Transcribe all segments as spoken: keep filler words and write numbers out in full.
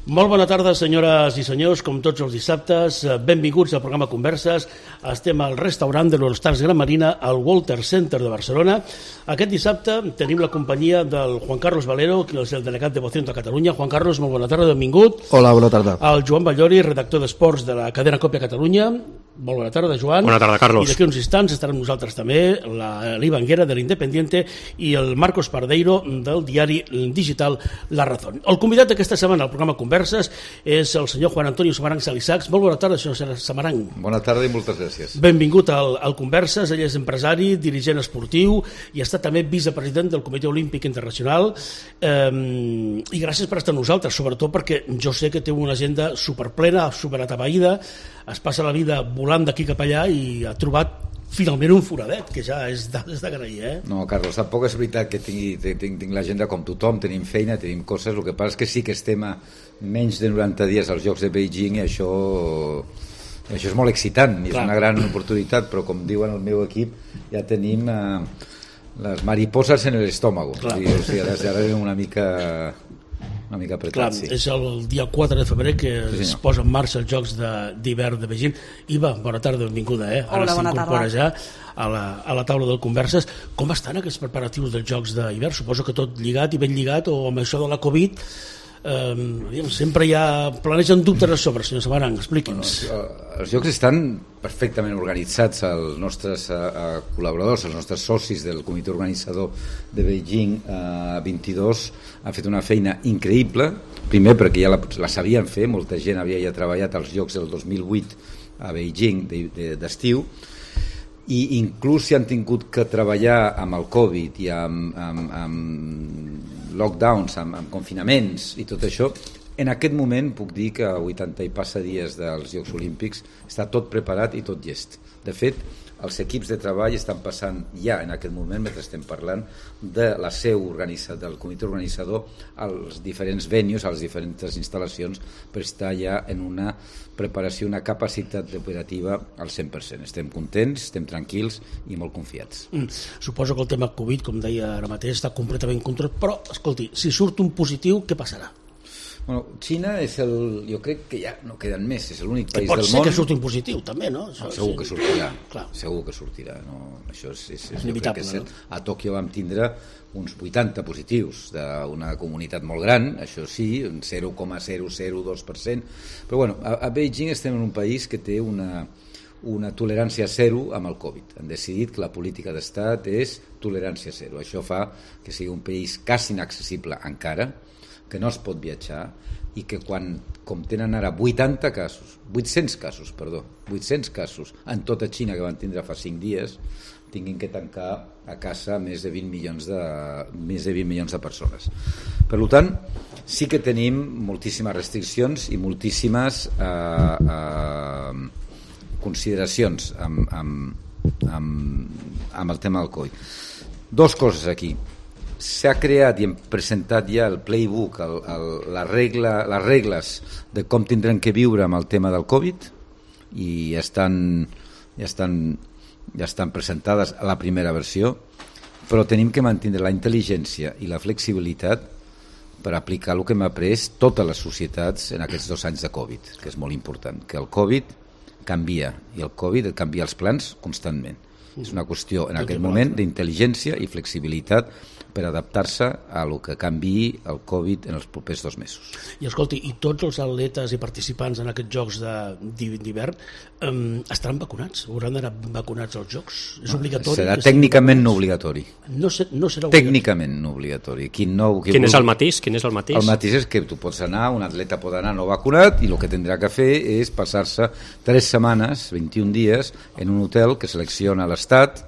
Molt bona tarda, senyores i senyors, com tots els dissabtes. Benvinguts al programa Converses. Estem al restaurant de l'All-Stars Gran Marina, al Walter Center de Barcelona. Aquest dissabte tenim la companyia del Juan Carlos Valero, que és el delegat de Vocento a Catalunya. Juan Carlos, molt bona tarda, benvingut. Hola, bona tarda. El Joan Ballori, redactor d'esports de la cadena Còpia Catalunya. Molt bona tarda, Joan. Bona tarda, Carlos. I d'aquí uns instants estarà amb nosaltres també l'Eli Banguera, de l'Independiente, i el Marcos Pardeiro, del diari digital La Razón. El convidat d'aquesta setmana al programa Converses és el senyor Juan Antonio Samaranch Salisachs. Molt bona tarda, senyor Samaranch. Bona tarda i moltes gràcies. Benvingut al, al Converses. Ell és empresari, dirigent esportiu i ha estat també vicepresident del Comitè Olímpic Internacional. Eh, I gràcies per estar amb nosaltres, sobretot perquè jo sé que té una agenda superplena, superatabaïda, es passa la vida volant d'aquí cap allà i ha trobat finalment un foradet, que ja és d'agrair, eh? No, Carlos, tampoc és veritat que tingui, tinc, tinc l'agenda com tothom, tenim feina, tenim coses, el que passa és que sí que estem a menys de noranta dies als Jocs de Beijing i això, això és molt excitant i és una gran oportunitat, però com diuen el meu equip, ja tenim eh, les mariposas en l'estómago, o sigui, o sigui, ara, ara una mica... una mica apretat, Clar, sí. És el dia quatre de febrer que sí, es posa en marxa els Jocs d'hivern de, de Beijing. Iva, bona tarda, benvinguda, eh? Ara s'incorpora ja a la, a la taula del Converses. Com estan aquests preparatius dels Jocs d'hivern? Suposo que tot lligat i ben lligat, o amb això de la Covid, eh, sempre hi ha planegen dubtes a sobre, senyor Samaranch, expliqui'ns. Bueno, els Jocs estan perfectament organitzats, els nostres uh, col·laboradors, els nostres socis del comitè organitzador de Beijing uh, vint-i-dos han fet una feina increïble, primer perquè ja la, la sabien fer, molta gent havia ja treballat als Jocs del dos mil vuit a Beijing de, de, d'estiu, i inclús si han tingut que treballar amb el Covid i amb, amb, amb lockdowns, amb, amb confinaments i tot això, en aquest moment puc dir que a vuitanta i passa dies dels Jocs Olímpics està tot preparat i tot llest. De fet, els equips de treball estan passant ja en aquest moment, mentre estem parlant, de la seu organitzada, del comitè organitzador als diferents venues, a les diferents instal·lacions, per estar ja en una preparació, una capacitat operativa al cent per cent. Estem contents, estem tranquils i molt confiats. Mm. Suposo que el tema Covid, com deia ara mateix, està completament controlat, però, escolti, si surt un positiu, què passarà? Bueno, Xina és el... jo crec que ja no queden més, és l'únic país del món... Pot ser que surti un positiu, també, no? Això, no segur sí. que sortirà, Clar. segur que sortirà. No? Això és, és, és, és que és cert. A Tòquio vam tindre uns vuitanta positius d'una comunitat molt gran, això sí, un zero coma zero zero dos per cent, però bueno, a, a Beijing estem en un país que té una, una tolerància zero amb el Covid. Han decidit que la política d'estat és tolerància zero. Això fa que sigui un país quasi inaccessible encara, que no es pot viatjar i que quan, com tenen ara vuitanta casos, vuit-cents casos, perdó, vuit-cents casos en tota Xina que van tindre fa cinc dies, tinguin que tancar a casa més de vint milions de, més de vint milions de persones. Per tant, sí que tenim moltíssimes restriccions i moltíssimes eh, eh, consideracions amb, amb, amb, amb el tema del Covid. Dos coses aquí. S'ha creat i hem presentat ja el playbook, el, el, la regla, les regles de com tindrem que viure amb el tema del Covid i ja estan, ja estan, ja estan presentades a la primera versió, però tenim que mantenir la intel·ligència i la flexibilitat per aplicar el que hem après totes les societats en aquests dos anys de Covid, que és molt important, que el Covid canvia i el Covid canvia els plans constantment. És una qüestió en aquest moment d'intel·ligència i flexibilitat per adaptar-se a lo que canviï el Covid en els propers dos mesos. I escolti, i tots els atletes i participants en aquests Jocs d'hivern um, estaran vacunats? Hauran d'anar vacunats als Jocs? És obligatori? Serà tècnicament no obligatori. No, ser, no serà obligatori. Tècnicament no obligatori. Qui no, qui Quin vol... és el matís? Quin és el matís? El matís és que tu pots anar, un atleta pot anar no vacunat i el que tindrà que fer és passar-se tres setmanes, vint-i-un dies, en un hotel que selecciona l'Estat,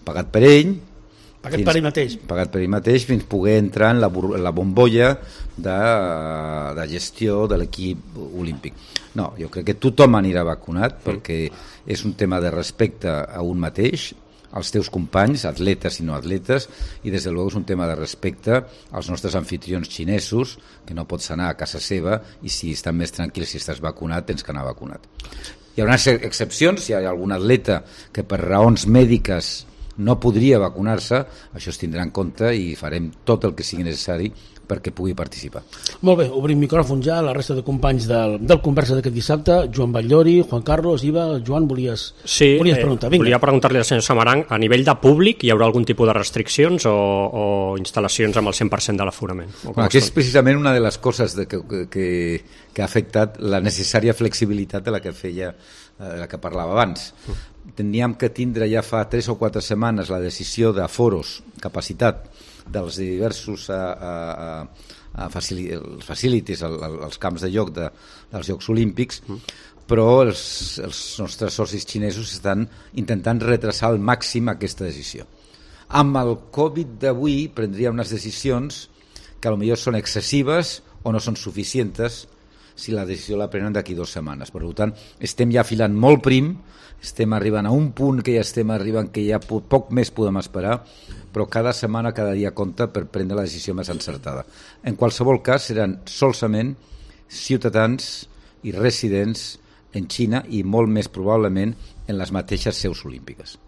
pagat per ell, Pagat fins, per ell mateix. Pagat per ell mateix fins poder entrar en la, en la bombolla de, de gestió de l'equip olímpic. No, jo crec que tothom anirà vacunat mm. perquè és un tema de respecte a un mateix, als teus companys, atletes i no atletes, i des de luego és un tema de respecte als nostres anfitrions xinesos, que no pots anar a casa seva i si estan més tranquils, si estàs vacunat, tens que anar vacunat. Hi haurà excepcions, si hi ha algun atleta que per raons mèdiques no podria vacunar-se, això es tindrà en compte i farem tot el que sigui necessari perquè pugui participar. Molt bé, obrim micròfon ja a la resta de companys del, del Conversa d'aquest dissabte. Joan Batllori, Juan Carlos, Iva, Joan, volies, sí, volies preguntar? Eh, volia preguntar-li al senyor Samaranch, a nivell de públic hi haurà algun tipus de restriccions o, o instal·lacions amb el cent per cent de l'aforament? Bueno, aquí és precisament una de les coses de que, que, que ha afectat la necessària flexibilitat de la que feia, de la que parlava abans. Teníem que tindre ja fa tres o quatre setmanes la decisió d'aforos, capacitat dels diversos a, a, a facilities, als camps de joc de, dels Jocs Olímpics, però els, els nostres socis xinesos estan intentant retrasar al màxim aquesta decisió. Amb el Covid d'avui prendria unes decisions que potser són excessives o no són suficients si la decisió la prenen d'aquí dues setmanes. Per tant, estem ja filant molt prim, estem arribant a un punt que ja estem arribant que ja poc més podem esperar, però cada setmana, cada dia compta per prendre la decisió més encertada. En qualsevol cas, seran solament ciutadans i residents en Xina i molt més probablement en les mateixes seus olímpiques.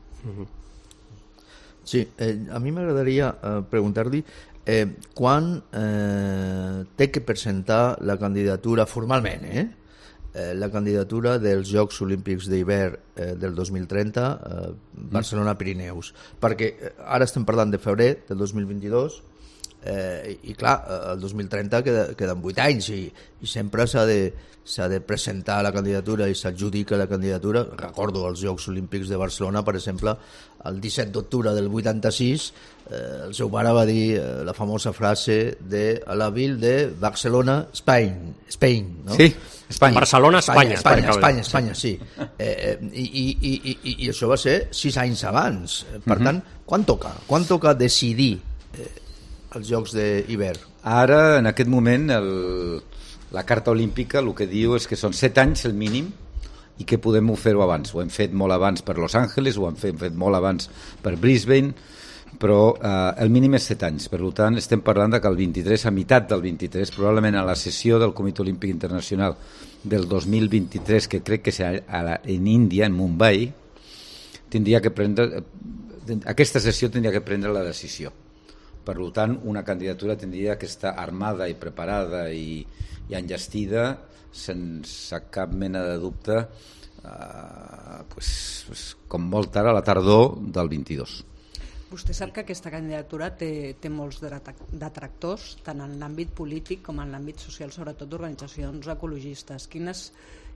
Sí, eh, a mi m'agradaria eh, preguntar-li eh, quan eh, té que presentar la candidatura formalment, eh? Eh, la candidatura dels Jocs Olímpics d'hivern eh, del dos mil trenta, eh, Barcelona-Pirineus, perquè eh, ara estem parlant de febrer del dos mil vint-i-dos eh, i clar, el dos mil trenta queda, queden vuit anys i, i sempre s'ha de, s'ha de presentar la candidatura i s'adjudica la candidatura. Recordo els Jocs Olímpics de Barcelona, per exemple, el disset d'octubre del vuitanta-sis, eh, el seu pare va dir eh, la famosa frase de a la ville de Barcelona, Spain, Spain, no? Sí, Espanya. Barcelona, Espanya. Espanya, Espanya, Espanya, Espanya, sí. Eh, i, i, i, i, I això va ser sis anys abans. Per uh-huh. tant, quan toca? Quan toca decidir eh, els Jocs d'hivern? Ara, en aquest moment, el, la Carta Olímpica el que diu és que són set anys el mínim i que podem fer-ho abans. Ho hem fet molt abans per Los Angeles, ho hem fet, fet molt abans per Brisbane, però eh, el mínim és set anys. Per tant, estem parlant de que el vint-i-tres, a meitat del vint-i-tres, probablement a la sessió del Comitè Olímpic Internacional del dos mil vint-i-tres, que crec que serà en Índia, en Mumbai, tindria que prendre, aquesta sessió tindria que prendre la decisió. Per tant, una candidatura tindria que estar armada i preparada i, i enllestida sense cap mena de dubte, eh, pues, pues, com molt tard a la tardor del vint-i-dos. Vostè sap que aquesta candidatura té, té molts detractors, tant en l'àmbit polític com en l'àmbit social, sobretot d'organitzacions ecologistes. Quines,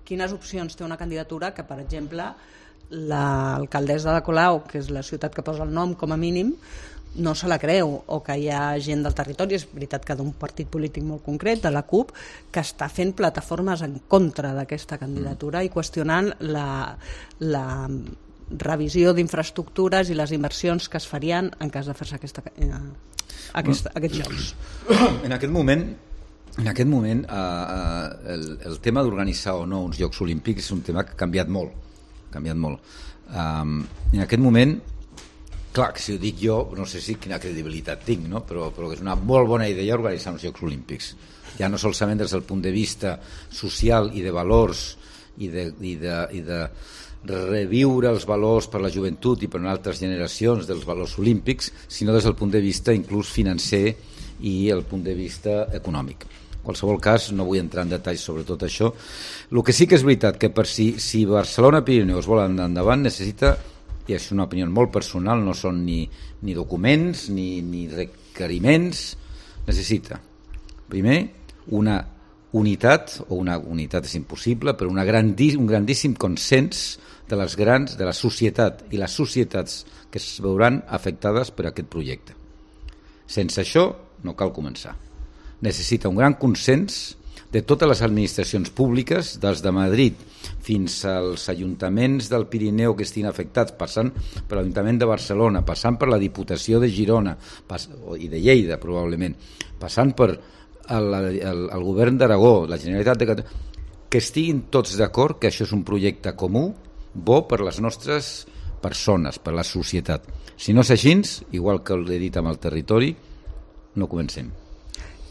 quines opcions té una candidatura que, per exemple, l'alcaldessa de Colau, que és la ciutat que posa el nom com a mínim, no se la creu, o que hi ha gent del territori, és veritat que d'un partit polític molt concret, de la CUP, que està fent plataformes en contra d'aquesta candidatura i qüestionant la, la revisió d'infraestructures i les inversions que es farien en cas de fer-se aquesta, eh, aquesta, aquests jocs. En aquest moment, en aquest moment eh, el, el tema d'organitzar o no uns Jocs Olímpics és un tema que ha canviat molt. Ha canviat molt. Um, en aquest moment, clar, que si ho dic jo, no sé si quina credibilitat tinc, no? però, però és una molt bona idea organitzar uns Jocs Olímpics. Ja no solament des del punt de vista social i de valors i de, i de, i de reviure els valors per la joventut i per altres generacions dels valors olímpics, sinó des del punt de vista inclús financer i el punt de vista econòmic. En qualsevol cas, no vull entrar en detalls sobre tot això. El que sí que és veritat que per si, si Barcelona-Pirineus vol anar endavant necessita, i és una opinió molt personal, no són ni, ni documents ni, ni requeriments, necessita primer una unitat, o una unitat és impossible, però una grandí, un grandíssim consens de les grans, de la societat i les societats que es veuran afectades per aquest projecte. Sense això no cal començar. Necessita un gran consens de totes les administracions públiques, des de Madrid fins als ajuntaments del Pirineu que estiguin afectats, passant per l'Ajuntament de Barcelona, passant per la Diputació de Girona pas, i de Lleida probablement, passant per el, el, el govern d'Aragó, la Generalitat de Catalunya, que estiguin tots d'acord que això és un projecte comú, bo per les nostres persones, per la societat. Si no és així, igual que l'he dit amb el territori, no comencem.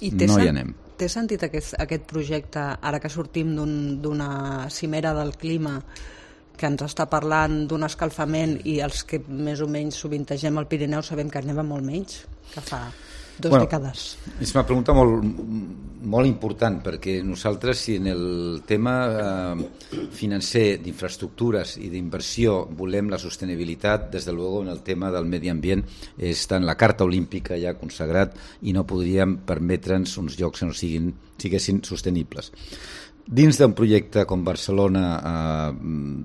I no hi anem. Té sentit aquest, aquest projecte, ara que sortim d'una un, cimera del clima que ens està parlant d'un escalfament i els que més o menys sovintegem al Pirineu sabem que neva molt menys que fa Dos bueno, dècades. És una pregunta molt, molt important, perquè nosaltres, si en el tema eh, financer, d'infraestructures i d'inversió volem la sostenibilitat, des de luego en el tema del medi ambient està en la Carta Olímpica ja consagrat i no podríem permetre'ns uns jocs que no siguin, siguessin sostenibles. Dins d'un projecte com Barcelona eh,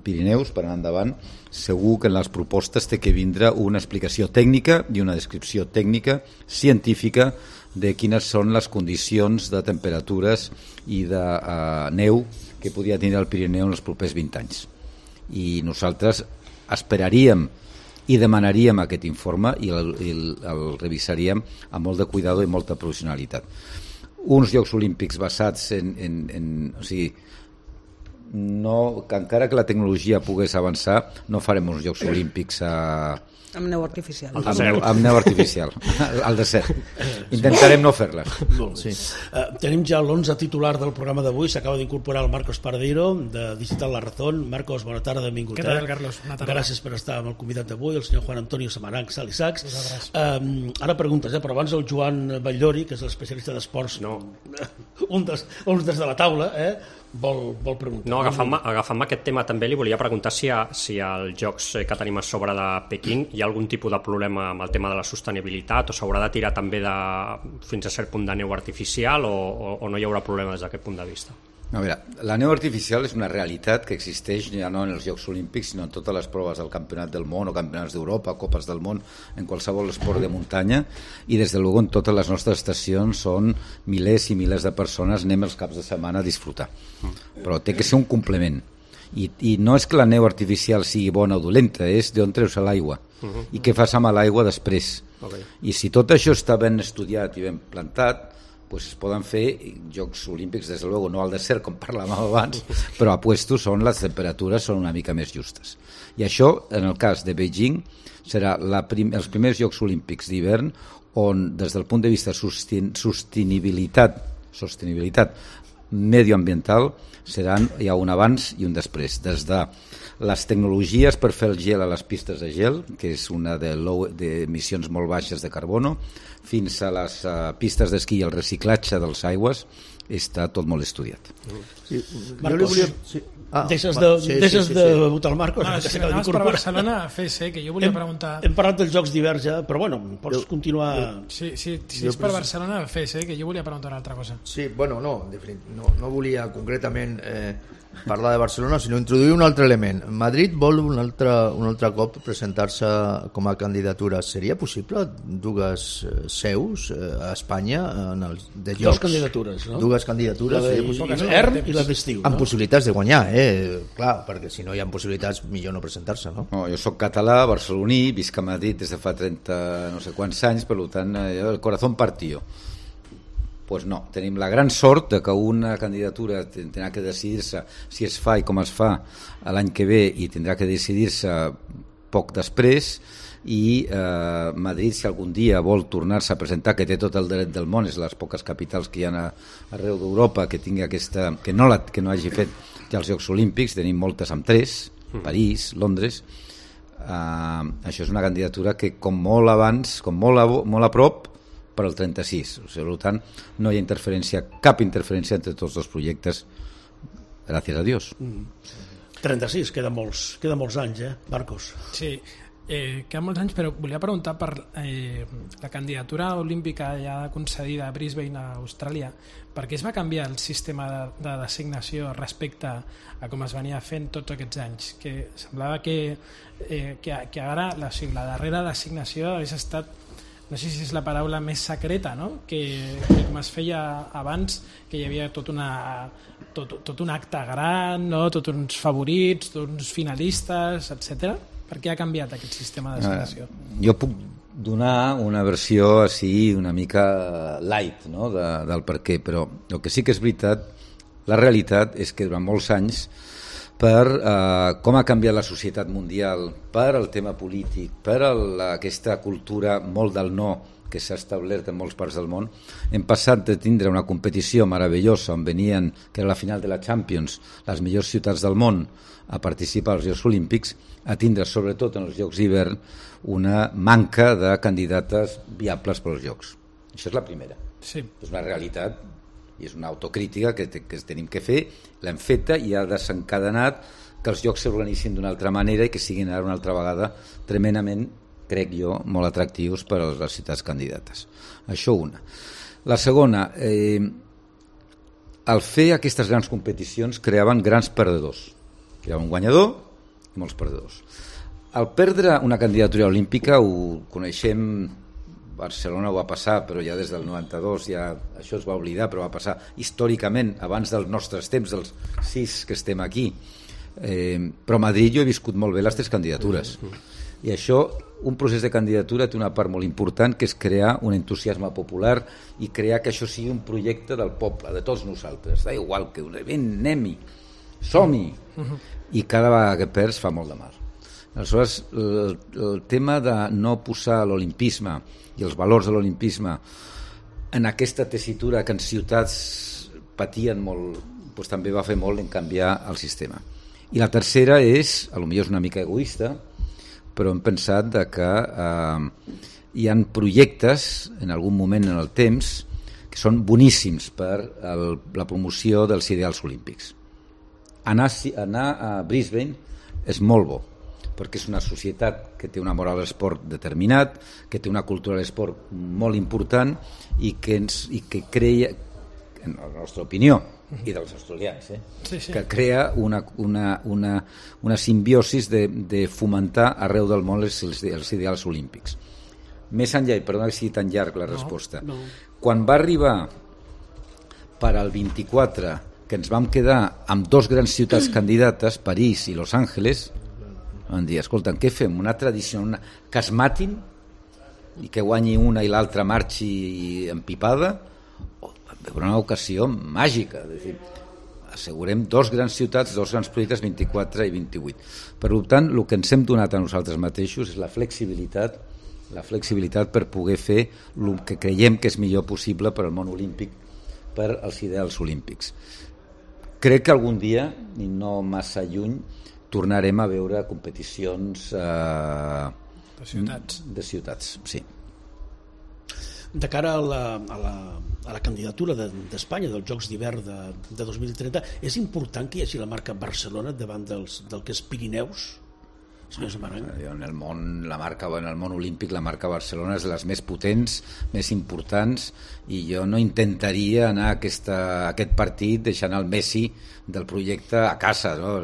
Pirineus, per anar endavant, segur que en les propostes té que vindre una explicació tècnica i una descripció tècnica, científica, de quines són les condicions de temperatures i de eh, neu que podria tenir el Pirineu en els propers vint anys. I nosaltres esperaríem i demanaríem aquest informe i el, el, el revisaríem amb molt de cuidado i molta professionalitat. Uns Jocs Olímpics basats en, en, en o sigui, no, que encara que la tecnologia pogués avançar, no farem uns Jocs Olímpics a, amb neu artificial. Amb, neu, amb neu artificial, al desert. Intentarem no fer-les. Sí. Uh, tenim ja l'onze titular del programa d'avui, s'acaba d'incorporar el Marcos Paradero, de Digital La Razón. Marcos, bona tarda, benvingut. Què tal, Carlos? Bona tarda. Gràcies per estar amb el convidat d'avui, el senyor Juan Antonio Samaranch, Sal i Sacs. Uh, ara preguntes, eh? Però abans el Joan Batllori, que és l'especialista d'esports, no. un, dels, un des de la taula, eh? Vol, vol preguntar. No, agafant-me agafant aquest tema també li volia preguntar si, ha, si als jocs que tenim a sobre de Pequín hi ha algun tipus de problema amb el tema de la sostenibilitat o s'haurà de tirar també de, fins a cert punt de neu artificial o, o, o no hi haurà problema des d'aquest punt de vista? A veure, la neu artificial és una realitat que existeix ja no en els Jocs Olímpics sinó en totes les proves del Campionat del Món o Campionats d'Europa, Copes del Món, en qualsevol esport de muntanya i des de luego en totes les nostres estacions són milers i milers de persones, anem els caps de setmana a disfrutar. Però té que ser un complement. I, i no és que la neu artificial sigui bona o dolenta, és d'on treus l'aigua uh-huh. i què fas amb l'aigua després. Okay. I si tot això està ben estudiat i ben plantat, pues es poden fer Jocs Olímpics, des de luego, no al desert, com parlàvem abans, però a puestos on les temperatures són una mica més justes. I això, en el cas de Beijing, serà la prim- els primers Jocs Olímpics d'hivern on, des del punt de vista sosten- sostenibilitat, sostenibilitat medioambiental, seran, hi ha un abans i un després. Des de les tecnologies per fer el gel a les pistes de gel, que és una de, low, de emissions molt baixes de carbono, fins a les uh, pistes d'esquí i el reciclatge dels aigües, està tot molt estudiat. Sí, Marcos, volia... sí. ah, deixes de, sí, deixes sí, sí, de sí. votar el Marcos. No, si anaves per Barcelona a F S, que jo volia hem, preguntar... Hem parlat dels Jocs d'hivern ja, però bueno, pots Jo- continuar... Sí, sí, si és per Barcelona a F S, que jo volia preguntar una altra cosa. Sí, bueno, no, de fet, no, no volia concretament eh, parlar de Barcelona, sinó introduir un altre element. Madrid vol un altre, un altre cop presentar-se com a candidatura. Seria possible dues eh, seus eh, a Espanya en els de Dues llocs? candidatures, no? Dues candidatures. La seria possible? d'hivern i la d'estiu. Amb No? possibilitats de guanyar, eh? Clar, perquè si no hi ha possibilitats, millor no presentar-se, no? No, jo sóc català, barceloní, visc a Madrid des de fa trenta no sé quants anys, per tant, eh, el corazón partió. Pues no, tenim la gran sort de que una candidatura tindrà que decidir-se si es fa i com es fa l'any que ve i tindrà que decidir-se poc després i eh, Madrid, si algun dia vol tornar-se a presentar, que té tot el dret del món, és les poques capitals que hi ha a, arreu d'Europa que tingui aquesta, que no, la, que no hagi fet ja els Jocs Olímpics, tenim moltes amb tres, París, Londres, eh, això és una candidatura que com molt abans, com molt a, molt a prop per al trenta-sis, o sigui, per tant no hi ha interferència, cap interferència entre tots dos projectes, gràcies a Dios. trenta-sis, queda molts, queda molts anys, eh, Marcos? Sí, eh, queden molts anys, però volia preguntar per eh, la candidatura olímpica ja concedida a Brisbane, a Austràlia. Per què es va canviar el sistema de, de designació respecte a com es venia fent tots aquests anys? Que semblava que, eh, que, que ara la, o sigui, la darrera designació hagués estat, no sé si és la paraula més secreta, no? que, que com es feia abans, que hi havia tot, una, tot, tot un acte gran, no? Tot uns favorits, tots uns finalistes, etcètera. Per què ha canviat aquest sistema de designació? Eh, jo puc donar una versió així una mica light, no? de, del per què, però el que sí que és veritat, la realitat és que durant molts anys per eh, com ha canviat la societat mundial, per el tema polític, per el, aquesta cultura molt del no que s'ha establert en molts parts del món, hem passat de tindre una competició meravellosa on venien, que era la final de la Champions, les millors ciutats del món a participar als Jocs Olímpics, a tindre, sobretot en els Jocs d'hivern, una manca de candidates viables per als Jocs. Això és la primera. Sí. És una realitat i és una autocrítica que, te, que tenim que fer, l'hem feta i ha desencadenat que els jocs s'organitzin d'una altra manera i que siguin ara una altra vegada tremendament, crec jo, molt atractius per a les ciutats candidates. Això una. La segona, eh, al fer aquestes grans competicions creaven grans perdedors. Hi ha un guanyador i molts perdedors. Al perdre una candidatura olímpica, ho coneixem, Barcelona ho va passar, però ja des del noranta-dos ja això es va oblidar, però va passar històricament, abans dels nostres temps, dels sis que estem aquí. Eh, però a Madrid jo he viscut molt bé les tres candidatures. I això, un procés de candidatura té una part molt important, que és crear un entusiasme popular i crear que això sigui un projecte del poble, de tots nosaltres. Da igual que un event, anem-hi, som-hi. I cada vegada que perds fa molt de mal. Aleshores, el, el tema de no posar l'olimpisme i els valors de l'olimpisme en aquesta tessitura que en ciutats patien molt, doncs també va fer molt en canviar el sistema. I la tercera és, a lo millor és una mica egoista, però hem pensat de que eh, hi ha projectes en algun moment en el temps que són boníssims per el, la promoció dels ideals olímpics. Anar, anar a Brisbane és molt bo, perquè és una societat que té una moral a l'esport determinat, que té una cultura a l'esport molt important i que, ens, i que crea, en la nostra opinió, i dels australians, eh? Sí, sí. Que crea una, una, una, una simbiosis de, de fomentar arreu del món els, els ideals olímpics. Més enllà, i perdona que sigui tan llarg la resposta, no, no. Quan va arribar per al vint-i-quatre, que ens vam quedar amb dos grans ciutats candidates, París i Los Angeles, van dir, escolta, què fem? Una tradició, una... que es matin i que guanyi una i l'altra marxi empipada? O una ocasió màgica. És dir, assegurem dos grans ciutats, dos grans projectes, vint-i-quatre i vint-i-vuit. Per tant, el que ens hem donat a nosaltres mateixos és la flexibilitat, la flexibilitat per poder fer el que creiem que és millor possible per al món olímpic, per als ideals olímpics. Crec que algun dia, i no massa lluny, tornarem a veure competicions eh, de ciutats. De ciutats, sí. De cara a la, a la, a la candidatura d'Espanya de, dels Jocs d'hivern de, de dos mil trenta, és important que hi hagi la marca Barcelona davant dels, del que és Pirineus? En el món, la marca, en el món olímpic la marca Barcelona és de les més potents, més importants, i jo no intentaria anar a, aquesta, a aquest partit deixant el Messi del projecte a casa, no?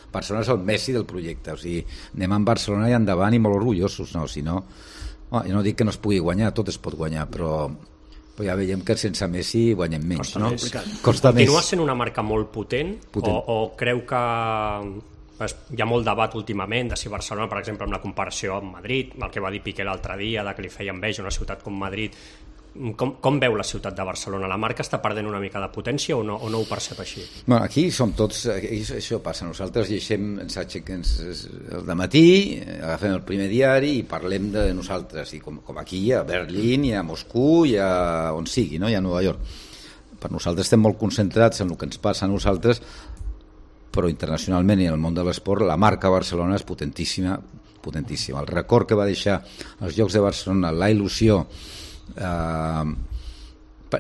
Barcelona és el Messi del projecte, o sigui, anem amb Barcelona i endavant i molt orgullosos, no? Si no, oh, jo no dic que no es pugui guanyar, tot es pot guanyar, però però ja veiem que sense Messi guanyem menys, Costa no? Més. Costa Continua més. Sent una marca molt potent, potent. O, o creu que hi ha molt debat últimament de si Barcelona, per exemple, amb la comparació amb Madrid, el que va dir Piqué l'altre dia, de que li feia enveja una ciutat com Madrid, com, com veu la ciutat de Barcelona? La marca està perdent una mica de potència o no, o no ho percep així? Bueno, aquí som tots, aquí això passa, nosaltres llegim, ens aixequem el dematí, agafem el primer diari i parlem de nosaltres, i com, com aquí a Berlín i a Moscou i a on sigui, no? I a Nova York. Per nosaltres estem molt concentrats en el que ens passa a nosaltres, però internacionalment i en el món de l'esport la marca Barcelona és potentíssima, potentíssima. El record que va deixar els Jocs de Barcelona, la il·lusió eh,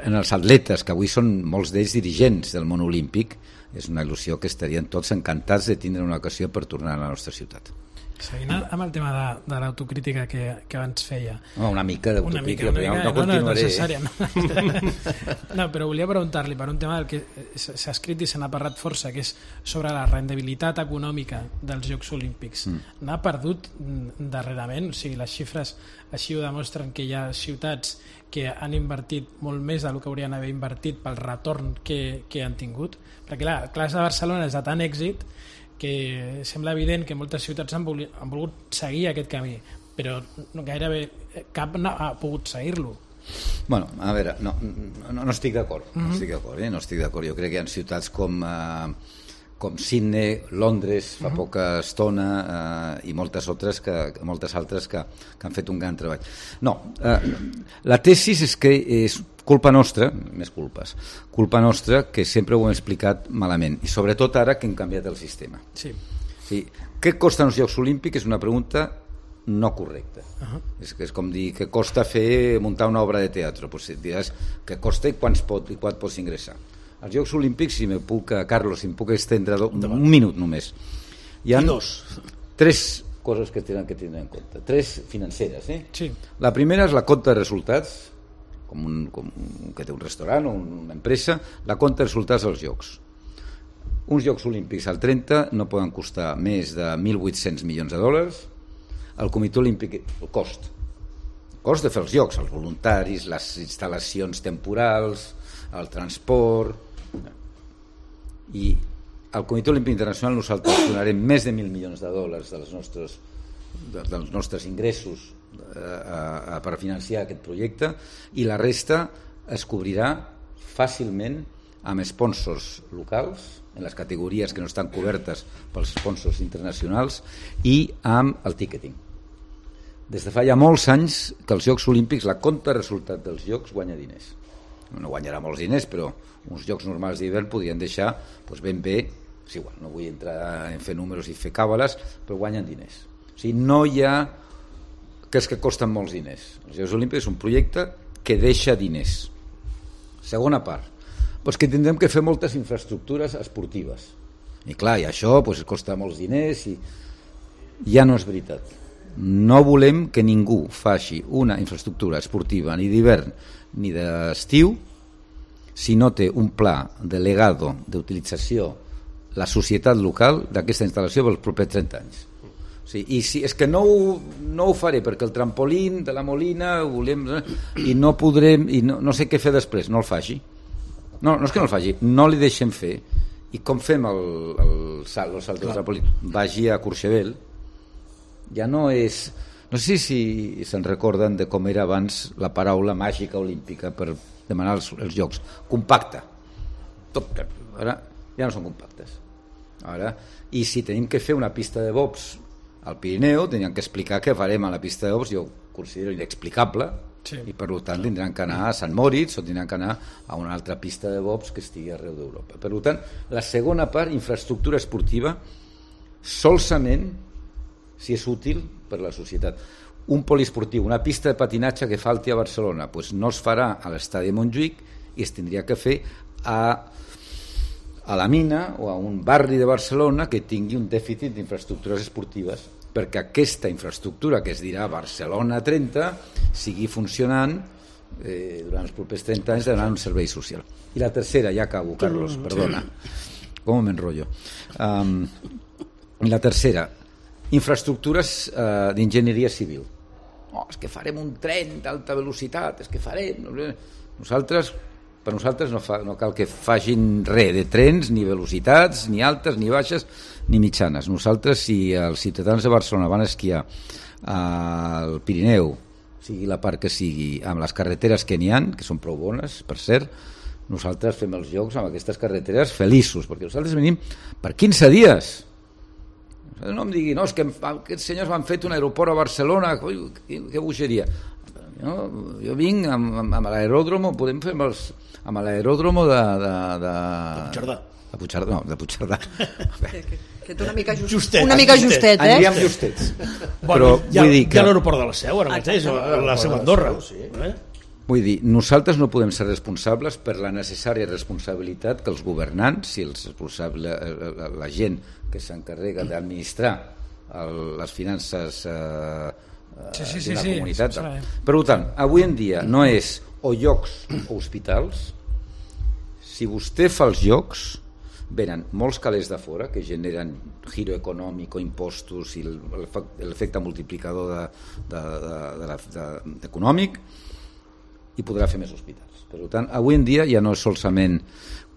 en els atletes, que avui són molts d'ells dirigents del món olímpic, és una il·lusió que estarien tots encantats de tindre una ocasió per tornar a la nostra ciutat. Seguint amb el tema de, de l'autocrítica que, que abans feia. No, una mica d'autocrítica, però no, no continuaré. No, no, necessària. No, no, però volia preguntar-li per un tema del que s'ha escrit i se n'ha parlat força, que és sobre la rendibilitat econòmica dels Jocs Olímpics. Mm. N'ha perdut darrerament, o sigui, les xifres així ho demostren, que hi ha ciutats que han invertit molt més del que haurien d'haver invertit pel retorn que, que han tingut. Perquè clar, el cas de Barcelona és de tant èxit que sembla evident que moltes ciutats han volgut, han volgut seguir aquest camí, però no, gairebé cap no ha pogut seguir-lo. Bueno, a veure, no, no, no estic d'acord, mm-hmm. no estic d'acord, eh? no estic d'acord. Jo crec que hi ha ciutats com, eh, com Sydney, Londres, fa mm-hmm. poca estona, eh, i moltes altres, que, moltes altres que, que han fet un gran treball. No, eh, la tesis és que és culpa nostra, més culpes, culpa nostra que sempre ho hem explicat malament, i sobretot ara que hem canviat el sistema. Sí. Sí. Què costen els Jocs Olímpics? És una pregunta no correcte. Uh-huh. És, és com dir que costa fer muntar una obra de teatre, pues diràs que costa i quan pot, i quan pots ingressar. Els Jocs Olímpics, si me puc, Carlos, si em puc estendre do, un minut només. Hi ha tres coses que tenen que tindre en compte, tres financeres. Eh? Sí. La primera és la compta de resultats, com un, com un que té un restaurant o una empresa, la compta de resultats dels Jocs. Uns Jocs Olímpics al trenta no poden costar més de mil vuit-cents milions de dòlars. El Comitè Olímpic, el cost. El cost de fer els Jocs, els voluntaris, les instal·lacions temporals, el transport... I al Comitè Olímpic Internacional nosaltres donarem més de mil milions de dòlars dels nostres, dels nostres ingressos eh, a, a, per financiar aquest projecte, i la resta es cobrirà fàcilment amb sponsors locals, en les categories que no estan cobertes pels sponsors internacionals, i amb el ticketing. Des de fa ja molts anys que els Jocs Olímpics, la compta de resultat dels Jocs guanya diners. No guanyarà molts diners, però uns Jocs normals d'hivern podrien deixar doncs, ben bé, és igual, no vull entrar en fer números i fer càbales, però guanyen diners. O sigui, no hi ha que és que costen molts diners. Els Jocs Olímpics és un projecte que deixa diners. Segona part, doncs que tindrem que fer moltes infraestructures esportives. I clar, i això doncs, costa molts diners i ja no és veritat. No volem que ningú faci una infraestructura esportiva ni d'hivern ni d'estiu si no té un pla de legado d'utilització la societat local d'aquesta instal·lació pels propers trenta anys. O sigui, i si, és que no ho, no ho faré perquè el trampolín de la Molina ho volem, i no podrem i no, no sé què fer després, no el faci. No, no és que no el faci, no li deixem fer. I com fem el, el salt, el salt del trampolín? Vagi a Courchevel. Ja no és... No sé si se'n recorden de com era abans la paraula màgica olímpica per demanar els, els jocs. Compacte. Tot, ara ja no són compactes. Ara, i si tenim que fer una pista de bobs al Pirineu, teníem que explicar què farem a la pista de bobs, jo considero inexplicable, sí. I per tant tindran que anar a Sant Moritz o tindran que anar a una altra pista de bobs que estigui arreu d'Europa. Per tant, la segona part, infraestructura esportiva, solament si és útil per la societat. Un poliesportiu, una pista de patinatge que falti a Barcelona, doncs no es farà a l'estadi de Montjuïc i es tindria que fer a, a la Mina o a un barri de Barcelona que tingui un dèficit d'infraestructures esportives, perquè aquesta infraestructura que es dirà Barcelona trenta sigui funcionant eh, durant els propers trenta anys donant un servei social. I la tercera, ja acabo, Carlos, perdona, com m'enrotllo. Um, la tercera, infraestructures eh, d'enginyeria civil. Oh, és que farem un tren d'alta velocitat, és que farem... Nosaltres, per nosaltres no, fa, no cal que facin res de trens, ni velocitats, ni altes, ni baixes, ni mitjanes. Nosaltres, si els ciutadans de Barcelona van esquiar al Pirineu, sigui la part que sigui, amb les carreteres que n'hi ha, que són prou bones, per cert, nosaltres fem els jocs amb aquestes carreteres feliços, perquè nosaltres venim per quinze dies. No em digui, no, és que aquests senyors m'han fet un aeroport a Barcelona, ui, que, que bogeria. Jo, jo vinc amb, amb, amb l'aeròdromo, podem fer amb, els, amb l'aeròdromo de... De, de, de Puigcerdà. De Puigcerdà, no, de Puigcerdà. Que, que, que té una mica just, justet. Una mica justet, eh? Aniríem justets. Bueno, Però hi ha, vull dir que... hi ha l'aeroport de la Seu, ara mateix, a la Seu Andorra. Sí. Eh? Vull dir, nosaltres no podem ser responsables per la necessària responsabilitat que els governants i els responsables, la, la gent que s'encarrega d'administrar el, les finances eh, sí, sí, sí, d'una sí, comunitat. sí, Per tant, avui en dia no és o llocs o hospitals. Si vostè fa els jocs, venen molts calés de fora que generen giro econòmic o impostos i l'efecte multiplicador de, de, de, de, de, de, econòmic, i podrà fer més hospitals. Per tant, avui en dia ja no és solament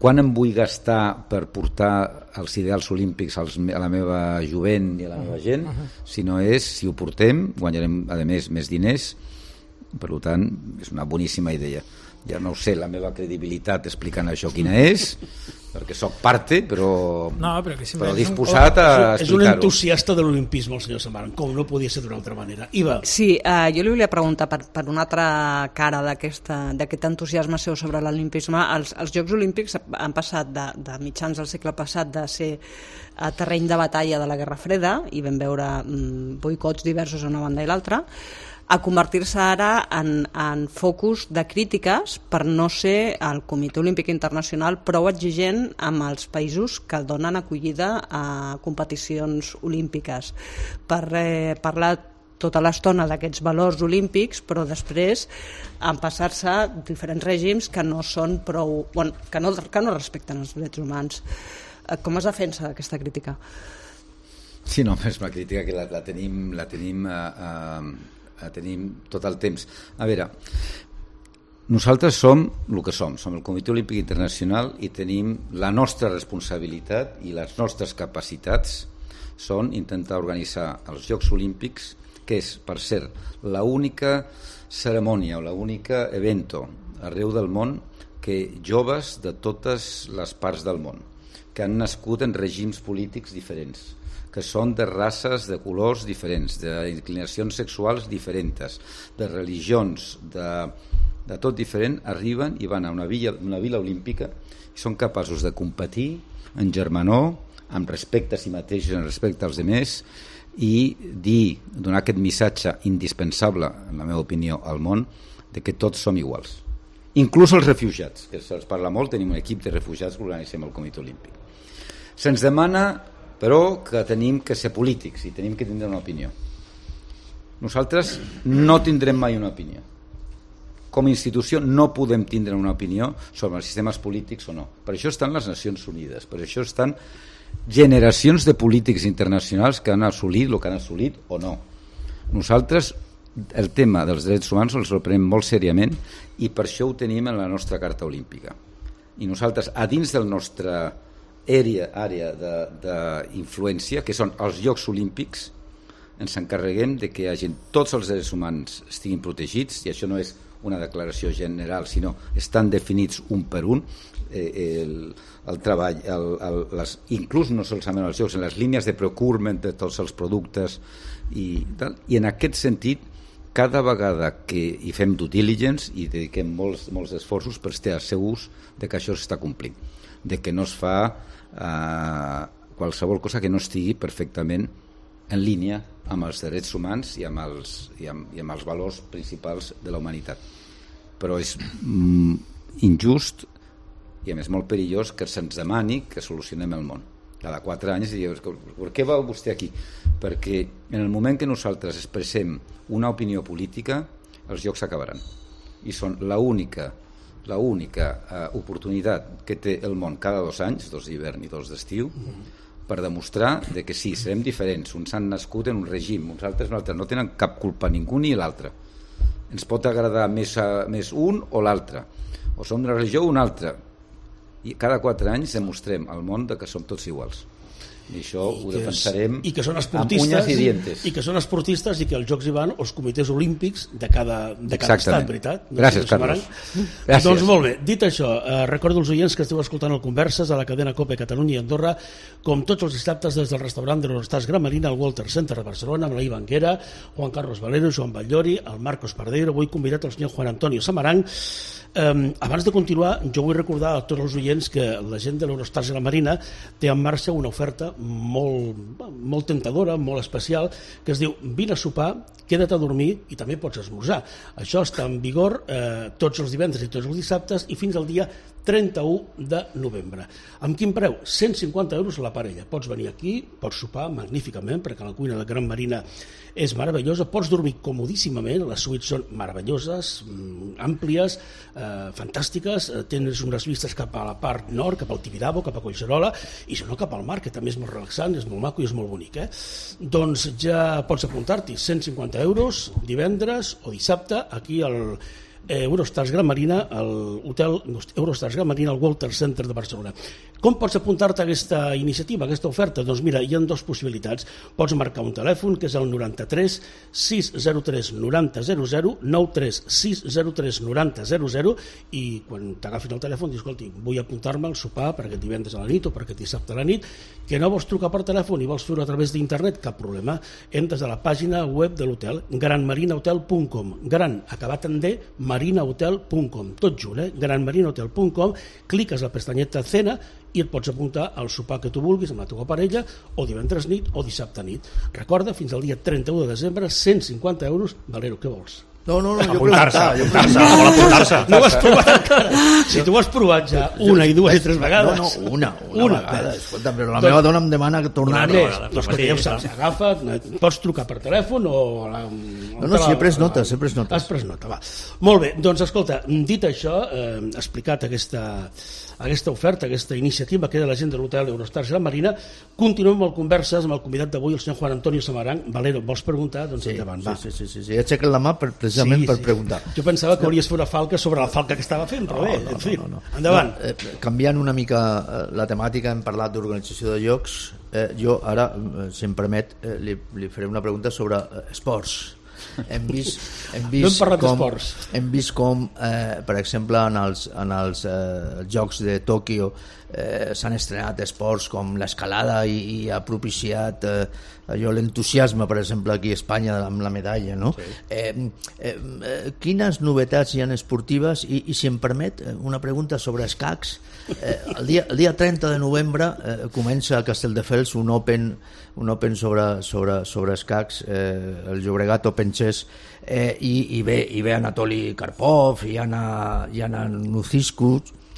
quan em vull gastar per portar els ideals olímpics als, a la meva jovent i a la meva gent, sinó és, si ho portem, guanyarem, a més, més diners. Per tant, és una boníssima idea. ja no sé la meva credibilitat explicant això quina és, perquè sóc parte, però, no, però, que però disposat a explicar-ho. És un entusiasta de l'olimpisme, el senyor Samaran, com no podia ser d'una altra manera. Iva. Sí, eh, jo li volia preguntar per, per una altra cara d'aquest entusiasme seu sobre l'olimpisme. Els, els Jocs Olímpics han passat de, de mitjans del segle passat de ser a terreny de batalla de la Guerra Freda, i vam veure mm, boicots diversos a una banda i l'altra, a convertir-se ara en, en focus de crítiques per no ser el Comitè Olímpic Internacional prou exigent amb els països que donen acollida a competicions olímpiques. Per eh, parlar tota l'estona d'aquests valors olímpics, però després en passar-se diferents règims que no són prou, bueno, que no, que no respecten els drets humans. Com es defensa aquesta crítica? Sí, no, és una crítica que la, la tenim, la tenim a, a, a tenim tot el temps. A veure, nosaltres som el que som, som el Comitè Olímpic Internacional i tenim la nostra responsabilitat i les nostres capacitats són intentar organitzar els Jocs Olímpics, que és, per cert, l'única cerimònia o l'única evento arreu del món que joves de totes les parts del món, que han nascut en règims polítics diferents, que són de races, de colors diferents, d'inclinacions sexuals diferents, de religions, de, de tot diferent, arriben i van a una vila, una vila olímpica i són capaços de competir en germanor, amb respecte a si mateixos, en respecte als altres, i dir, donar aquest missatge indispensable, en la meva opinió, al món, de que tots som iguals. Inclús els refugiats, que se'ls parla molt, tenim un equip de refugiats que organitzem el Comitè Olímpic. Se'ns demana, però, que tenim que ser polítics i tenim que tindre una opinió. Nosaltres no tindrem mai una opinió. Com a institució no podem tindre una opinió sobre els sistemes polítics o no. Per això estan les Nacions Unides, per això estan generacions de polítics internacionals que han assolit el que han assolit o no. Nosaltres el tema dels drets humans els prenem molt seriament i per això ho tenim en la nostra Carta Olímpica. I nosaltres, a dins del nostre àrea, àrea d'influència, que són els Jocs Olímpics, ens encarreguem de que hagi, tots els drets humans estiguin protegits, i això no és una declaració general, sinó estan definits un per un, eh, el, el treball, el, el, les, inclús no solament els jocs, en les línies de procurement de tots els productes i tal, i en aquest sentit cada vegada que hi fem due diligence i dediquem molts, molts esforços per estar segurs de que això s'està complint, de que no es fa eh, qualsevol cosa que no estigui perfectament en línia amb els drets humans i amb els, i amb, i amb els valors principals de la humanitat. Però és mm, injust i a més molt perillós que se'ns demani que solucionem el món. Cada quatre anys dius, per què va vostè aquí? Perquè en el moment que nosaltres expressem una opinió política, els jocs s'acabaran. I són l'única l'única eh, oportunitat que té el món cada dos anys, dos d'hivern i dos d'estiu, per demostrar de que sí, serem diferents. Uns han nascut en un règim, uns altres un altre. No tenen cap culpa ningú ni l'altre. Ens pot agradar més, a, més un o l'altre. O som d'una religió o una altra. I cada quatre anys demostrem al món de que som tots iguals. I això I ho defensarem és, i que són amb unyes i dientes. I que són esportistes i que els Jocs hi van els comitès olímpics de cada, de cada estat, veritat? Gràcies, Carlos. Gràcies. Doncs molt bé, dit això, eh, recordo als oients que esteu escoltant el Converses a la cadena COPE Catalunya i Andorra, com tots els dissabtes des del restaurant de l'Hortàs Gran Marina al Walter Center de Barcelona, amb la Iva Anguera, Juan Carlos Valero, Joan Batllori, el Marcos Pardeiro, avui convidat el senyor Juan Antonio Samaranch. Um, abans de continuar, jo vull recordar a tots els oients que la gent de l'Eurostars Gran Marina té en marxa una oferta molt, molt tentadora, molt especial, que es diu vine a sopar, queda't a dormir i també pots esmorzar. Això està en vigor eh, tots els divendres i tots els dissabtes i fins al dia trenta-u de novembre. Amb quin preu? cent cinquanta euros a la parella. Pots venir aquí, pots sopar magníficament, perquè la cuina de Gran Marina és meravellosa, pots dormir comodíssimament, les suites són meravelloses, àmplies, eh, fantàstiques, eh, tens unes vistes cap a la part nord, cap al Tibidabo, cap a Collserola, i si no cap al mar, que també és molt relaxant, és molt maco i és molt bonic. Eh? Doncs ja pots apuntar-t'hi, cent cinquanta euros, divendres o dissabte, aquí al eh, Eurostars Gran Marina, al hotel Eurostars Gran Marina al Walter Center de Barcelona. Com pots apuntar-te a aquesta iniciativa, a aquesta oferta? Doncs mira, hi ha dues possibilitats. Pots marcar un telèfon, que és el noranta-tres sis zero tres noranta zero zero, nou tres sis zero tres noranta zero zero, i quan t'agafin el telèfon dius, escolti, vull apuntar-me al sopar per aquest divendres a la nit o per aquest dissabte a la nit, que no vols trucar per telèfon i vols fer-ho a través d'internet, cap problema. Entres a la pàgina web de l'hotel, gran marina hotel punt com, gran, acabat en D, marina hotel punt com, tot junt, eh? gran marina hotel punt com, cliques a la pestanyeta Cena i et pots apuntar al sopar que tu vulguis amb la teva parella, o divendres nit o dissabte nit. Recorda, fins al dia trenta-u de desembre, cent cinquanta euros. Valero, què vols? No, no, no, jo Apuntar-se, preguntava, jo apuntar-se, preguntava. vol apuntar-se. No ho has provat encara. Si tu ho has provat ja una i dues i tres vegades. No, no, una, una, Una. vegada. Escolta, però la Doncs- meva dona em demana tornar-hi. Més, vegada, doncs que ja ho saps, agafa, pots trucar per telèfon o... La, No, no, si he pres notes, he pres notes. Has pres nota, va. Molt bé, doncs escolta, dit això, eh, explicat aquesta, aquesta oferta, aquesta iniciativa que era la gent de l'hotel Eurostars Gran Marina, continuem amb el converses amb el convidat d'avui, el senyor Juan Antonio Samaranch. Valero, vols preguntar? Doncs Sí, endavant, va. sí, sí, sí, sí. He aixecat la mà per, precisament per preguntar. Jo pensava que hauries fet una falca sobre la falca que estava fent, però bé, no, en fi, no, no. endavant. No, eh, canviant una mica eh, la temàtica, hem parlat d'organització de llocs. Eh, jo ara, eh, si em permet, eh, li, li faré una pregunta sobre eh, esports. Hem vist, hem vist No hem parlat com, d'esports. hem vist com eh, per exemple, en els, en els eh, Jocs de Tòquio eh, s'han estrenat esports com l'escalada i, i ha propiciat eh, allò, l'entusiasme, per exemple, aquí a Espanya amb la medalla, no? Sí. Eh, eh, eh, quines novetats hi ha esportives? I, i si em permet, una pregunta sobre escacs. Eh, el, dia, el dia trenta de novembre eh, comença a Castelldefels un Open, un open sobre, sobre, sobre escacs, eh, el Llobregat Open Chess, eh, i, i, ve, i ve Anatoli Karpov, i Anna, i Anna Nuciscu,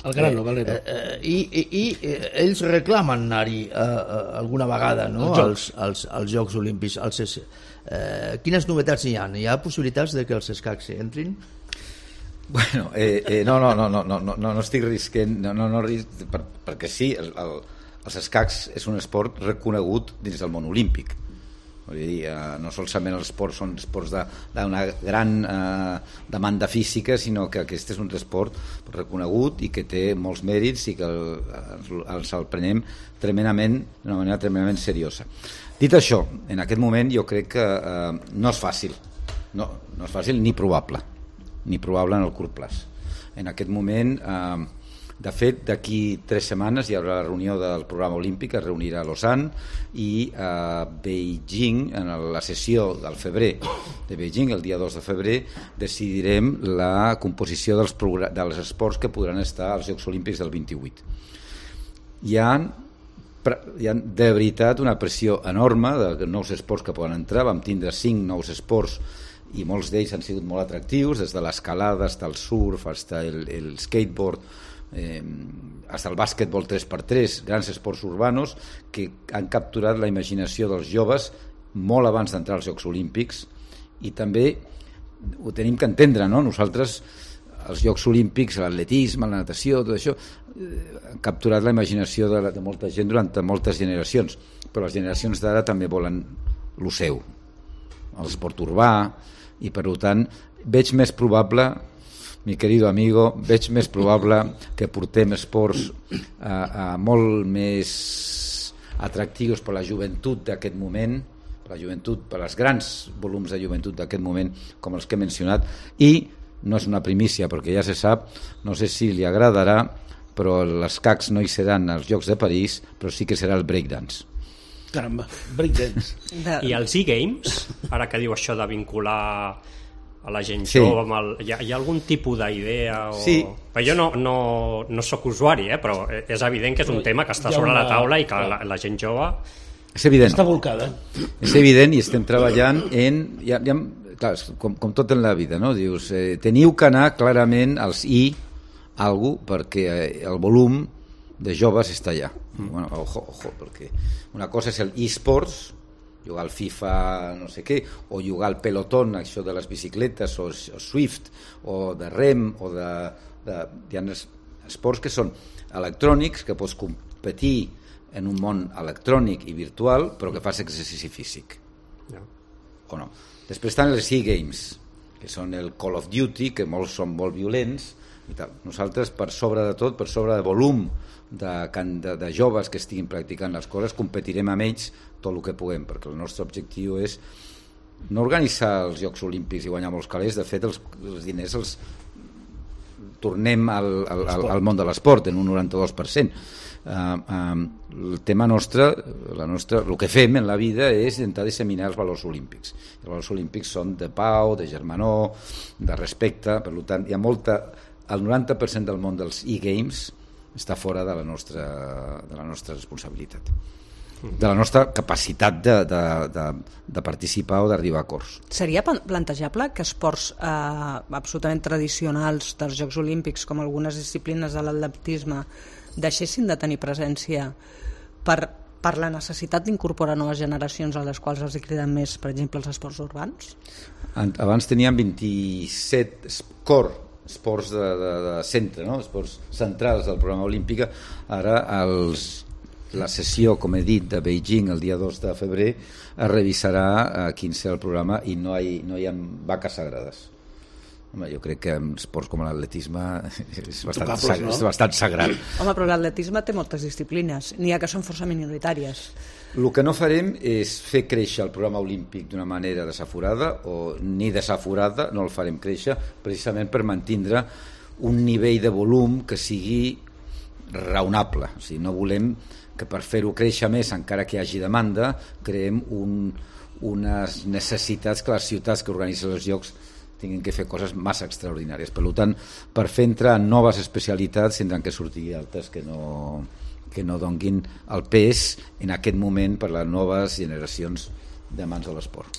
El grano, Valero. Eh, eh, i, i, i eh, ells reclamen anar-hi eh, eh, alguna vegada, no? Els als, als, als Jocs Olímpics. Als, eh, quines novetats hi ha? Hi ha possibilitats de que els escacs entrin? Bueno, eh, eh, no, no, no, no, no, no, no estic risquent, no, no, no risc, per, perquè sí, el, el, els escacs és un esport reconegut dins del món olímpic. Vull dir, eh, no solament els esports són esports d'una gran eh, demanda física, sinó que aquest és un esport reconegut i que té molts mèrits i que el, els el prenem tremendament, d'una manera tremendament seriosa. Dit això, en aquest moment jo crec que eh, no és fàcil, no, no és fàcil ni probable, ni probable en el curt plaç. En aquest moment... Eh, De fet, d'aquí tres setmanes hi haurà la reunió del programa olímpic, es reunirà a Lausanne, i a Beijing, en la sessió del febrer de Beijing, el dia dos de febrer, decidirem la composició dels, dels esports que podran estar als Jocs Olímpics del vint-i-vuit. Hi ha, hi ha de veritat una pressió enorme de nous esports que poden entrar. Vam tindre cinc nous esports i molts d'ells han sigut molt atractius, des de l'escalada, fins al surf, fins al el skateboard, Eh, hasta el bàsquetbol tres per tres, grans esports urbanos que han capturat la imaginació dels joves molt abans d'entrar als Jocs Olímpics, i també ho tenim que entendre, no? Nosaltres, els Jocs Olímpics, l'atletisme, la natació, tot això eh, han capturat la imaginació de, de molta gent durant moltes generacions, però les generacions d'ara també volen lo seu, l'esport urbà, i per tant veig més probable, mi querido amigo, veig més probable que portem esports a, a molt més atractius per la joventut d'aquest moment, per la joventut, per els grans volums de joventut d'aquest moment, com els que he mencionat, i no és una primícia, perquè ja se sap, no sé si li agradarà, però els escacs no hi seran als Jocs de París, però sí que serà el breakdance. Caramba, breakdance. De... I els e-games, ara que diu això de vincular a la gent Sí. jove, amb el... hi, ha, hi ha algun tipus d'idea? O... Sí. Però jo no, no, no sóc usuari, eh? Però és evident que és un tema que està Hi ha sobre una- la taula i que clar. la, la gent jove... És evident. Està volcada. És evident, i estem treballant en... Ja, ja, clar, com, com tot en la vida, no? Dius, eh, teniu que anar clarament als i algo, perquè eh, el volum de joves està allà. Mm. Bueno, ojo, ojo, perquè una cosa és el e-sports, jugar al FIFA no sé què, o jugar al pelotón, això de les bicicletes, o, o Swift, o de rem, o de... de hi ha esports que són electrònics, que pots competir en un món electrònic i virtual, però que fas exercici físic. Ja. O no. Després estan els e-games. que són el Call of Duty, que molts són molt violents i tal. Nosaltres, per sobre de tot, per sobre de volum de, de, de joves que estiguin practicant les coses, competirem amb ells tot el que puguem, perquè el nostre objectiu és no organitzar els Jocs Olímpics i guanyar molts calés. De fet, els, els diners els tornem al, al, al, al món de l'esport en un noranta-dos per cent. Uh, uh, el tema nostre, la nostra, el que fem en la vida és intentar disseminar els valors olímpics. Els valors olímpics són de pau, de germanor, de respecte. Per tant, hi ha molta, el noranta per cent del món dels e-games està fora de la nostra, de la nostra responsabilitat, de la nostra capacitat de, de, de, de participar o d'arribar a acords. Seria plantejable que esports eh, absolutament tradicionals dels Jocs Olímpics, com algunes disciplines de l'atletisme, deixessin de tenir presència per, per la necessitat d'incorporar noves generacions a les quals els hi criden més, per exemple, els esports urbans? Abans teníem vint-i-set core esports de, de, de centre, no? Esports centrals del programa olímpic. Ara els la sessió, com he dit, de Beijing el dia dos de febrer es revisarà a quin serà el programa i no hi, no hi ha vaques sagrades. Home, jo crec que en esports com l'atletisme és bastant, Tocables, no? és bastant sagrat. Home, però l'atletisme té moltes disciplines, n'hi ha que són força minoritàries. El que no farem és fer créixer el programa olímpic d'una manera desaforada, o ni desaforada, no el farem créixer, precisament per mantindre un nivell de volum que sigui raonable. O sigui, no volem que per fer-ho créixer més, encara que hi hagi demanda, creem un, unes necessitats que les ciutats que organitzen els Jocs tinguin que fer coses massa extraordinàries. Per tant, per fer entrar en noves especialitats tindran que sortir altres que no, que no donguin el pes en aquest moment per les noves generacions de mans de l'esport.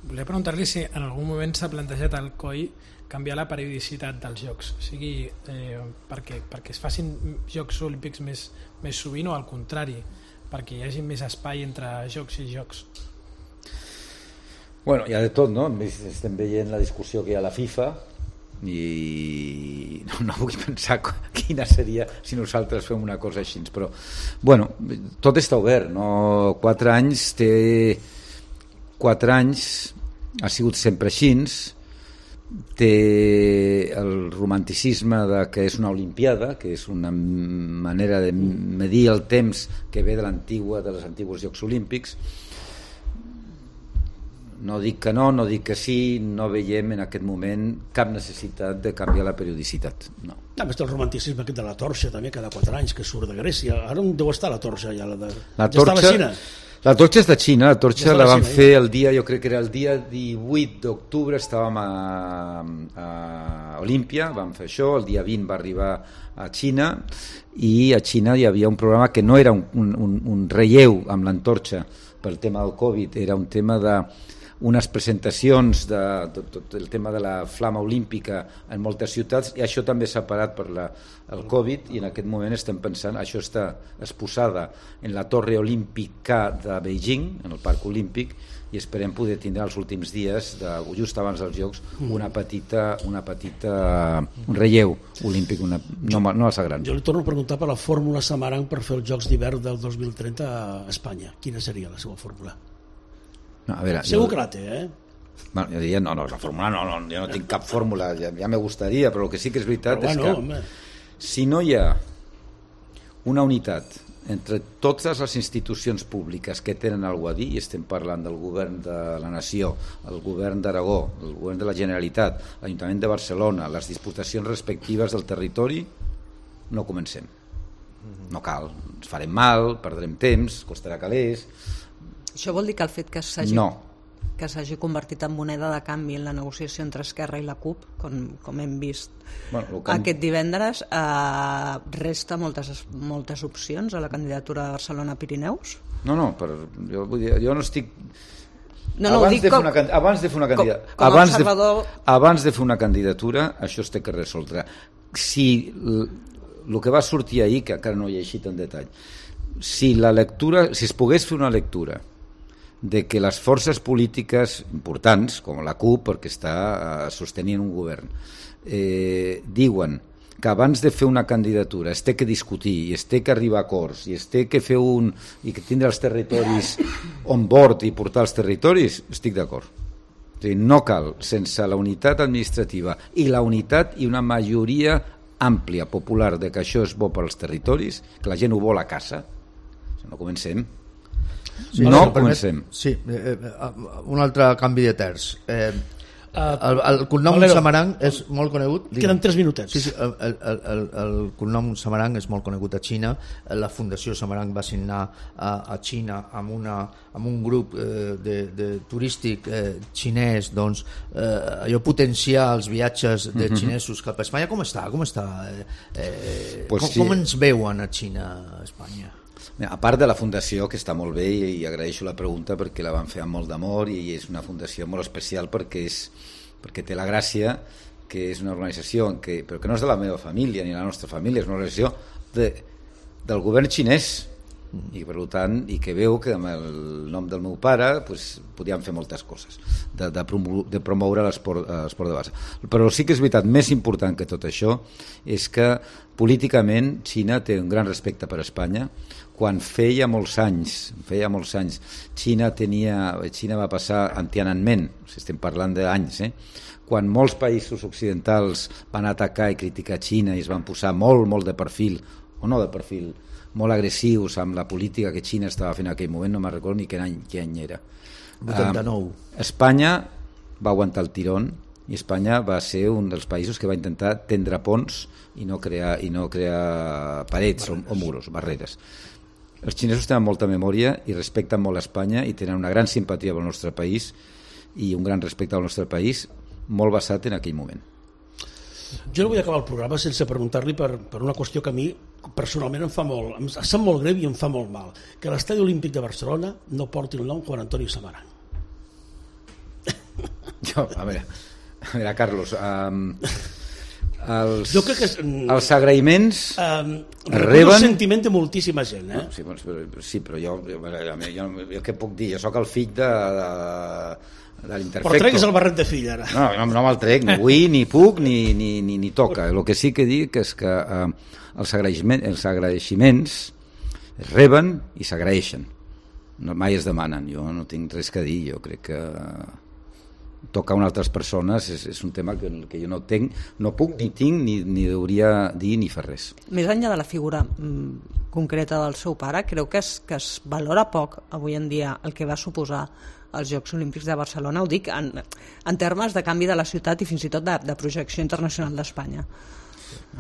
Volia preguntar-li si en algun moment s'ha plantejat al C O I canviar la periodicitat dels Jocs, o sigui, eh, perquè, perquè es facin Jocs Olímpics més, més sovint, o al contrari, perquè hi hagi més espai entre Jocs i Jocs. Bueno, hi ha de tot, no? Estem veient la discussió que hi ha a la FIFA i no, no vull pensar quina seria si nosaltres fem una cosa així, però bueno, tot està obert, no? Quatre anys té quatre anys ha sigut sempre així, té el romanticisme de que és una olimpiada, que és una manera de medir el temps que ve de l'antigua, de les antiguos Jocs Olímpics. No dic que no, no dic que sí, no veiem en aquest moment cap necessitat de canviar la periodicitat, no. A més del romanticisme aquest de la torxa també cada quatre anys que surt de Grècia, ara on deu estar la torxa ja? La, de... la torxa, ja està a la Xina? La torxa és de Xina, la torxa ja la van Xina, fer ja. el dia, jo crec que era el dia divuit d'octubre, estàvem a, a Olímpia, vam fer això, el dia vint va arribar a Xina, i a Xina hi havia un programa que no era un, un, un relleu amb l'antorxa pel tema del Covid, era un tema de unes presentacions de, de, de, del tema de la flama olímpica en moltes ciutats, i això també s'ha parat per la, el Covid, i en aquest moment estem pensant, això està exposada en la Torre Olímpica de Beijing, en el Parc Olímpic, i esperem poder tindre els últims dies, de, just abans dels Jocs, una petita, una petita un relleu olímpic, una, no, no massa gran. Jo li torno a preguntar per la fórmula Samarang per fer els Jocs d'hivern del dos mil trenta a Espanya. Quina seria la seva fórmula? No, a veure, segur jo, que la té, eh? Bueno, jo diria, no, no, la fórmula no, no, jo no tinc cap fórmula, ja, ja me gustaria, però el que sí que és veritat però, és bueno, que home. Si no hi ha una unitat entre totes les institucions públiques que tenen alguna a dir, i estem parlant del govern de la Nació, el govern d'Aragó, el govern de la Generalitat, l'Ajuntament de Barcelona, les diputacions respectives del territori, no comencem. No cal, ens farem mal, perdrem temps, costarà calés. Això vol dir que el fet que s'hagi no. que s'hagi convertit en moneda de canvi en la negociació entre Esquerra i la CUP, com, com hem vist bueno, que... aquest divendres, eh, resta moltes, moltes opcions a la candidatura de Barcelona-Pirineus? No, no, per, jo, vull dir, jo no estic... No, no, abans, dic de com, una, abans de fer una candidatura, com, com abans, observador... de, abans de fer una candidatura, això es té que resoldre. Si el que va sortir ahir, que encara no he llegit en detall, si la lectura, si es pogués fer una lectura de que les forces polítiques importants, com la CUP, perquè està eh, sostenint un govern, eh, diuen que abans de fer una candidatura es té que discutir i es té que arribar a acords i es té que fer un i que tindre els territoris on board i portar els territoris, estic d'acord. És a dir, no cal, sense la unitat administrativa i la unitat i una majoria àmplia, popular, de que això és bo per als territoris, que la gent ho vol a casa, no comencem. Sí, no si comencem. Permet, sí, eh, eh, un altre canvi de terç. Eh, Uh, el, el cognom Valero, Samarang és molt conegut. Queden tres minutets. Sí, sí, el, el, el, el cognom Samarang és molt conegut a Xina. La Fundació Samarang va signar a, a Xina amb, una, amb un grup eh, de, de turístic eh, xinès, doncs, eh, allò potenciar els viatges de uh-huh. xinesos cap a Espanya. Com està? Com, està? Eh, eh, pues com, sí. com ens veuen a Xina, a Espanya? A part de la fundació, que està molt bé, i, i agraeixo la pregunta perquè la van fer amb molt d'amor, i és una fundació molt especial perquè, és, perquè té la gràcia que és una organització en què, però que no és de la meva família ni la nostra família, és una organització de, del govern xinès, i per tant, i que veu que amb el nom del meu pare pues, podíem fer moltes coses de, de, promoure, de promoure l'esport de base. Però sí que és veritat, més important que tot això és que políticament Xina té un gran respecte per Espanya. Quan feia molts anys, feia molts anys, Xina tenia, Xina va passar en Tiananmen, si estem parlant d'anys, eh? Quan molts països occidentals van atacar i criticar Xina i es van posar molt, molt de perfil, o no de perfil, molt agressius amb la política que Xina estava fent en aquell moment, no me'n recordo ni quin any, quin any era. vuitanta-nou. Uh, Espanya va aguantar el tirón i Espanya va ser un dels països que va intentar tendre ponts i no crear, i no crear parets o, o muros, barreres. Els xinesos tenen molta memòria i respecten molt Espanya i tenen una gran simpatia pel nostre país i un gran respecte al nostre país, molt basat en aquell moment. Jo no vull acabar el programa sense preguntar-li per, per una qüestió que a mi personalment em fa molt, em sap molt greu i em fa molt mal, que l'Estadi Olímpic de Barcelona no porti el nom Juan Antonio Samarang. Jo, a veure, a veure Carlos, um, els, jo crec que és, els agraïments um, reben... el sentiment de moltíssima gent, eh? No, sí, però, sí, però jo, jo, jo, jo què puc dir? Jo sóc el fill de, de, de l'Interfecto. Però treguis el barret de fill, ara. No, no, no me'l trec, ni vull, ni puc, ni, ni, ni, ni toca. El que sí que dic és que eh, els, agraïments, els agraeixements es reben i s'agraeixen. No, mai es demanen. Jo no tinc res que dir. Jo crec que tocar a altres persones és, és un tema que, que jo no tenc, no puc, ni tinc, ni, ni hauria dir ni fer res. Més enllà de la figura mm, concreta del seu pare, creu que es, que es valora poc avui en dia el que va suposar els Jocs Olímpics de Barcelona, ho dic en, en termes de canvi de la ciutat i fins i tot de, de projecció internacional d'Espanya.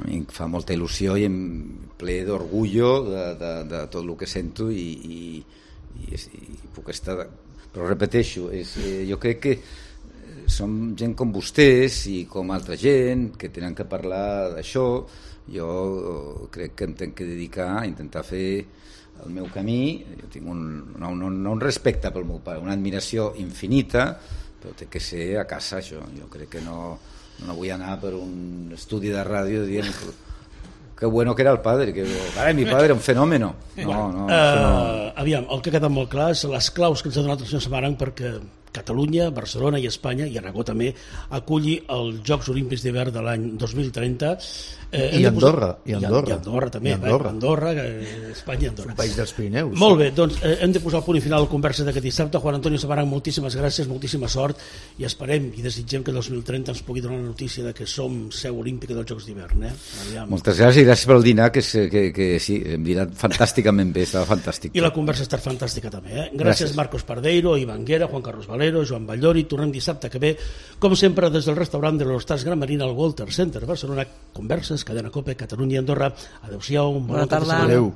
A mi em fa molta il·lusió i em ple d'orgullo de, de, de tot el que sento i, i, i, i puc estar... Però repeteixo, és, jo crec que som gent com vostès i com altra gent que tenen que parlar d'això. Jo crec que em tenc que dedicar a intentar fer el meu camí. Jo tinc un, no, no, no un respecte pel meu pare, una admiració infinita, però té que ser a casa això. Jo crec que no, no vull anar per un estudi de ràdio dient que, que bueno que era el padre, que ara mi padre era un fenòmeno. No, no, uh, aviam, el que ha quedat molt clar és les claus que ens ha donat el senyor Samarang perquè Catalunya, Barcelona i Espanya, i Aragó també, aculli els Jocs Olímpics d'hivern de l'any dos mil trenta. Eh, I, Andorra, posar... i Andorra. I Andorra també, I Andorra. Eh? Andorra, Espanya i Andorra. Un país dels Pirineus. Molt bé, doncs eh, hem de posar el punt i final a la conversa d'aquest dissabte. Juan Antonio Samarang, moltíssimes gràcies, moltíssima sort, i esperem i desitgem que el dos mil trenta ens pugui donar la notícia de que som seu olímpica dels Jocs d'hivern. Eh? Moltes gràcies i gràcies pel dinar, que, que, que sí, hem dinat fantàsticament bé, estava fantàstic. I la conversa ha estat fantàstica també. Eh? Gràcies, gràcies Marcos Pardeiro, Ivan Guera, Juan Carlos Valero, Joan Ballori. Tornem dissabte que ve, com sempre, des del restaurant de l'Hostals Gran Marina al Walter Center Barcelona. Converses, Cadena Cope, Catalunya i Andorra. Adéu-siau, bona, bona tarda. Adéu.